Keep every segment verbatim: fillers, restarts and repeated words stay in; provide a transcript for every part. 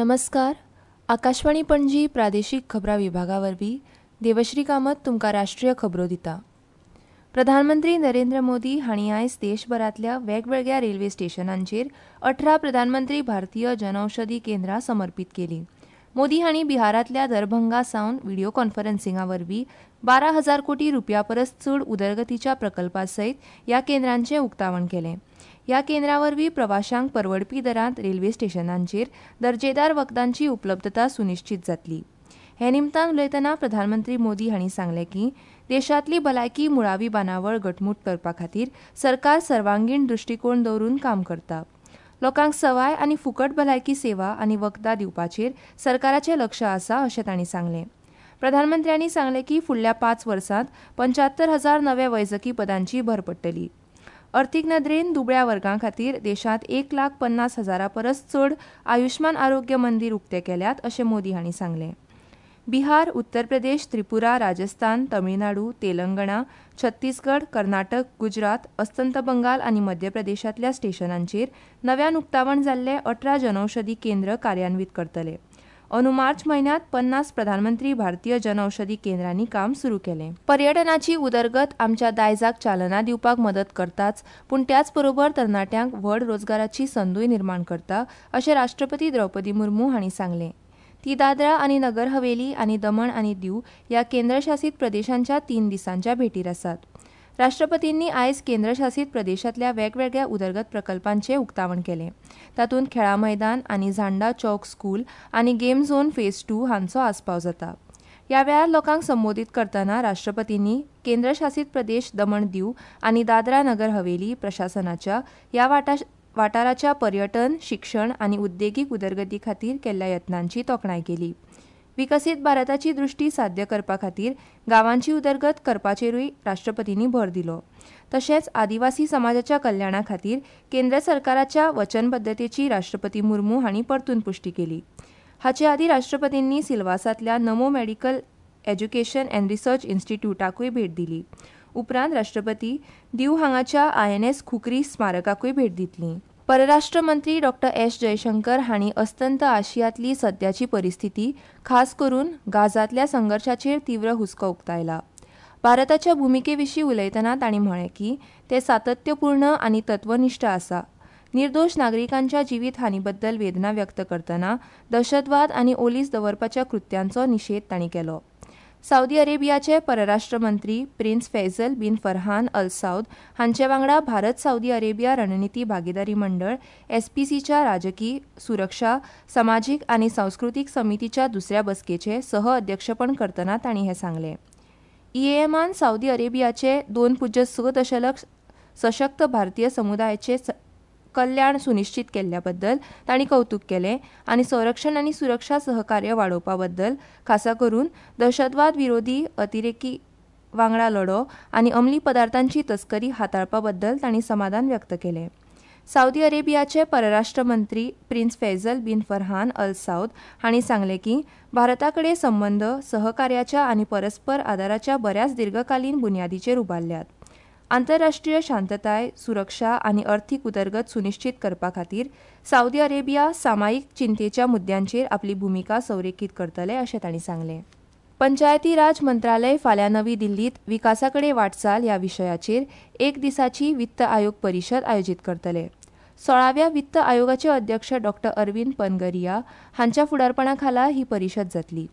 नमस्कार. आकाशवाणी पणजी प्रादेशीक खबरां विभागा वरवीं देवश्री कामत तुमकां राष्ट्रीय खबरो दिता. प्रधानमंत्री नरेंद्र मोदी हांणी आयज देशभरांतल्या वेगवेगळ्या रेल्वे स्टेशनांचेर अठरा प्रधानमंत्री भारतीय जनौषधी केंद्रां समर्पीत केलीं. मोदी हांणी बिहारांतल्या दरभंगा सावन व्हिडियो कॉन्फरन्सिंगा वरवीं बारा हजार कोटी रुपया परस चड उदरगतीच्या प्रकल्पा सयत ह्या केंद्रांचें उक्तावण केलें. ह्या केंद्रा वरवीं प्रवाशांक परवडपी दरांत रेल्वे स्टेशनांचेर दर्जेदार वखदांची उपलब्धता सुनिश्चीत जातली. हे निमतान उलयतना प्रधानमंत्री मोदी हांणी सांगलें की देशांतली भलायकी मुळावी बांदावळ घटमूट करपा खातीर सरकार सर्वांगीण दृश्टीकोन दवरून काम करता. लोकांक सवाय आनी फुकट भलायकी सेवा आनी वखदां दिवपाचेर सरकाराचें लक्ष आसा अशें तांणी सांगलें. प्रधानमंत्र्यांनी सांगलें की फुडल्या पांच वर्सांत पंच्यात्तर हजार नव्या वैजकी पदांची भर पडटली. अर्थीक नदरेन दुबळ्या वर्गां खातीर देशांत एक लाख पन्नास हजारा परस चड आयुष्मान आरोग्य मंदीर उक्ते केल्यात अशें मोदी हांणी सांगलें. बिहार, उत्तर प्रदेश, त्रिपुरा, राजस्थान, तमिळनाडू, तेलंगणा, छत्तीसगड, कर्नाटक, गुजरात, अस्तंत बंगाल आनी मध्य प्रदेशांतल्या स्टेशनांचेर नव्यान उक्तावण जाल्ले अठरा जनौषधी केंद्र कार्यान्वीत करतले. अंदू मार्च म्हयन्यांत पन्नास प्रधानमंत्री भारतीय जनौषधी केंद्रांनी काम सुरू केलें. पर्यटनाची उदरगत आमच्या दायजाक चालना दिवपाक मदत करताच, पूण त्याच बरोबर तरणाट्यांक व्हड रोजगाराची संदूय निर्माण करता अशें राष्ट्रपती द्रौपदी मुर्मू हांणी सांगलें. ती दादरा आनी नगर हवेली आनी दमण आनी दीव ह्या केंद्रशासीत प्रदेशांच्या तीन दिसांच्या भेटीर आसात. राष्ट्रपतींनी आयज केंद्रशासीत प्रदेशांतल्या वेगवेगळ्या उदरगत प्रकल्पांचें उक्तावण केलें. तातूंत खेळां मैदान आनी झांडा चौक स्कूल आनी गेम झोन फेज टू हांचो आस्पाव जाता. ह्या वेळार लोकांक संबोधीत करतना राष्ट्रपतींनी केंद्रशासीत प्रदेश दमण दीव आनी दादरा नगर हवेली प्रशासनाच्या ह्या वाटा वाठाराच्या पर्यटन, शिक्षण आनी उद्देगीक उदरगती खातीर केल्ल्या यत्नांची तोखणाय केली. विकसीत भारताची दृश्टी साध्य करपा खातीर गांवांची उदरगत करपाचेरूय राष्ट्रपतींनी भर दिलो. तशेंच आदिवासी समाजाच्या कल्याणा खातीर केंद्र सरकाराच्या वचनबद्धतेची राष्ट्रपती मुर्मू हांणी परतून पुश्टी केली. हाचे आदीं राष्ट्रपतींनी सिल्वासांतल्या Namo medical education and research इन्स्टिट्यूटाकूय भेट दिली. उपरांत राष्ट्रपती दीव हांगाच्या I N S Khukri स्मारकाकूय भेट दितली. परराष्ट्र मंत्री डॉ एस जयशंकर हांणी अस्तंत आशियांतली सद्याची परिस्थिती, खास करून गाझांतल्या संघर्शाचेर तीव्र हुस्को उक्तायला. भारताच्या भुमिके विशीं उलयतना तांणी म्हळें की ते सातत्यपूर्ण आनी तत्वनिश्ठ आसा. निर्दोश नागरिकांच्या जिवीत हानी बद्दल वेदना व्यक्त करतना दहशतवाद आनी ओलीस दवरपाच्या कृत्यांचो निशेध तांणी केलो. सावदी अरेबियाचे परराष्ट्र मंत्री prince Faisal bin Farhan Al Saud हांचे वांगडा भारत सावदी अरेबिया रणनिती भागीदारी मंडळ एसपीसीच्या राजकी, सुरक्षा, समाजीक आनी संस्कृतीक समितीच्या दुसऱ्या बसकेचे सह अध्यक्षपण करतना तांणी हें सांगलें. ईएएमान सावदी अरेबियाचे दोन पूज्य स दशलक्ष सशक्त भारतीय समुदायाचे कल्याण सुनिश्चीत केल्ल्या बद्दल तांणी कौतूक केलें आनी संरक्षण आनी सुरक्षा सहकार्य वाडोवपा बद्दल, खासा करून दहशतवाद विरोधी अतिरेकी वांगडा लढो आनी अंमली पदार्थांची तस्करी हाताळपा बद्दल तांणी समाधान व्यक्त केलें. सावदी अरेबियाचे परराष्ट्र मंत्री prince Faisal bin Farhan Al Saud हांणी सांगलें की भारता कडेन संबंद सहकार्याच्या आनी परस्पर आदाराच्या बऱ्याच दीर्घकालीन बुन्यादीचेर उबारल्यात. आंतरराष्ट्रीय शांतताय, सुरक्षा आनी अर्थीक उदरगत सुनिश्चीत करपा खातीर सावदी अरेबिया सामायिक चिंतेच्या मुद्द्यांचेर आपली भुमिका संरेखीत करतले अशें तांणी सांगलें. पंचायती राज मंत्रालय फाल्यां नवी दिल्लीत विकासा कडेन वाटचाल ह्या विशयाचेर एक दिसाची वित्त आयोग परिशद आयोजीत करतले. सोळाव्या वित्त आयोगाचे अध्यक्ष डॉ अरविंद पनगरिया हांच्या फुडारपणा खाला ही परिशद जातली.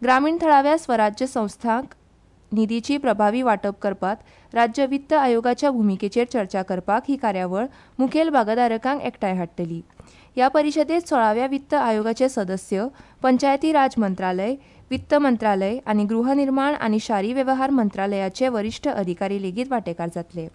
ग्रामीण थळाव्या स्वराज्य संस्थांक निधीची प्रभावी वांटप करपात राज्य वित्त आयोगाच्या भुमिकेचेर चर्चा करपाक ही कार्यावळ मुखेल भागधारकांक एकठांय हाडटली. ह्या परिशदेत सोळाव्या वित्त आयोगाचे सदस्य, पंचायती राज मंत्रालय, वित्त मंत्रालय आनी गृहनिर्माण आनी शारी वेव्हार मंत्रालयाचे वरिश्ठ अधिकारी लेगीत वांटेकार जातले.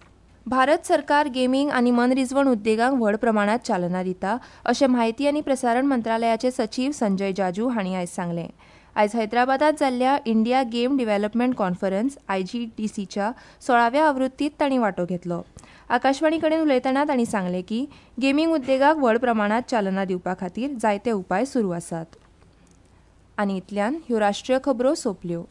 भारत सरकार गेमींग आनी मनरिजवण उद्देगांक व्हड प्रमाणात चालना दिता अशें म्हायती आनी प्रसारण मंत्रालयाचे सचीव संजय जाजू हांणी आयज सांगलें. आयज हैदराबादात जाल्ल्या India game development conference आयजीडीसीच्या सोळाव्या आवृत्तीत तांणी वांटो घेतलो. आकाशवाणी कडेन उलयतना तांणी सांगलें की गेमींग उद्देगाक व्हड प्रमाणात चालना दिवपा खातीर जायते उपाय सुरू आसात. आनी इतल्यान ह्यो राष्ट्रीय खबरो सोंपल्यो.